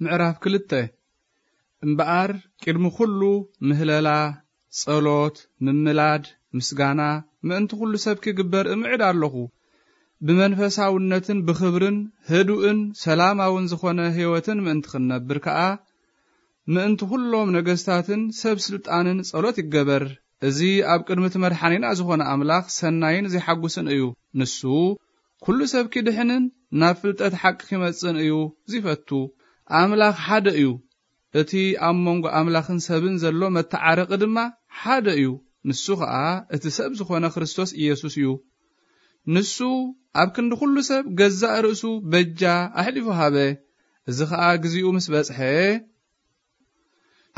ምዕራፍ ክልተ። እምበኣር ቅድሚ ኩሉ ምህለላ፣ ጸሎት፣ ምምላድ፣ ምስጋና ምእንቲ ኩሉ ሰብ ክግበር እምዕድ ኣለኹ። ብመንፈሳውነትን ብኽብርን ህዱእን ሰላማውን ዝኾነ ህይወትን ምእንቲ ክንነብር ከኣ፣ ምእንቲ ኩሎም ነገስታትን ሰብ ስልጣንን ጸሎት ይገበር። እዚ ኣብ ቅድሚ እቲ መድሓኒና ዝኾነ ኣምላኽ ሰናይን ዜሓጉስን እዩ። ንሱ ኩሉ ሰብ ኪድሕንን ናብ ፍልጠት ሓቂ ኪመጽእን እዩ ዚፈቱ። ኣምላኽ ሓደ እዩ። እቲ ኣብ መንጎ ኣምላኽን ሰብን ዘሎ መተዓረቒ ድማ ሓደ እዩ። ንሱ ኸኣ እቲ ሰብ ዝኾነ ክርስቶስ ኢየሱስ እዩ። ንሱ ኣብ ክንዲ ኩሉ ሰብ ገዛእ ርእሱ በጃ ኣሕሊፉ ሃበ። እዚ ኸኣ ግዜኡ ምስ በጽሐ፣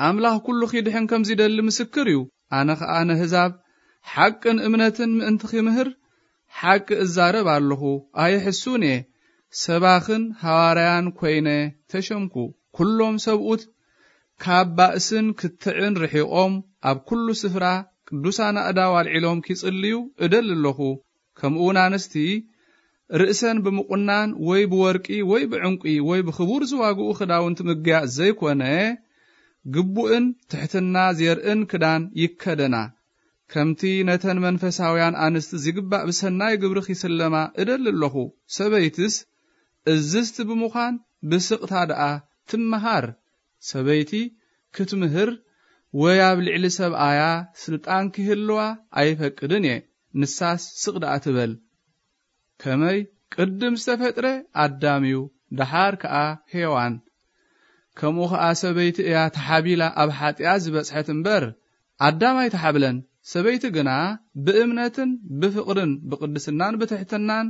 ኣምላኽ ኩሉ ኺድሕን ከም ዚደሊ ምስክር እዩ። ኣነ ኸኣ ነህዛብ ሓቅን እምነትን ምእንቲ ኺምህር ሓቂ እዛረብ ኣለኹ፣ ኣይሕሱን እየ። ሰባኽን ሃዋርያን ኮይነ ተሸምኩ። ኩሎም ሰብኡት ካብ ባእስን ክትዕን ርሒቖም ኣብ ኩሉ ስፍራ ቅዱሳን ኣእዳው ኣልዒሎም ኪጽልዩ እደሊ ኣለኹ። ከምኡውን ኣንስቲ ርእሰን ብምቑናን ወይ ብወርቂ ወይ ብዕንቂ ወይ ብኽቡር ዝዋግኡ ክዳውንቲ ምግያጽ ዘይኮነ፣ ግቡእን ትሕትና ዜርእን ክዳን ይከደና። ከምቲ ነተን መንፈሳውያን ኣንስቲ ዚግባእ ብሰናይ ግብሪ ኺስለማ እደሊ ኣለኹ። ሰበይትስ እዝዝቲ ብምዃን ብስቕታ ደኣ ትመሃር። ሰበይቲ ክትምህር ወይ ኣብ ልዕሊ ሰብኣያ ስልጣን ኪህልዋ ኣይፈቅድን እየ። ንሳስ ስቕ ደኣ ትበል። ከመይ ቅድም ዝተፈጥረ ኣዳም እዩ፣ ደሓር ከኣ ሄዋን። ከምኡ ኸኣ ሰበይቲ እያ ተሓቢላ ኣብ ሓጢኣት ዝበጽሐት እምበር፣ ኣዳም ኣይተሓብለን። ሰበይቲ ግና ብእምነትን ብፍቕርን ብቕድስናን ብትሕትናን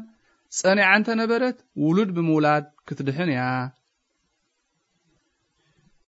ጸኒዓ እንተ ነበረት፣ ውሉድ ብምውላድ ክትድሕን እያ።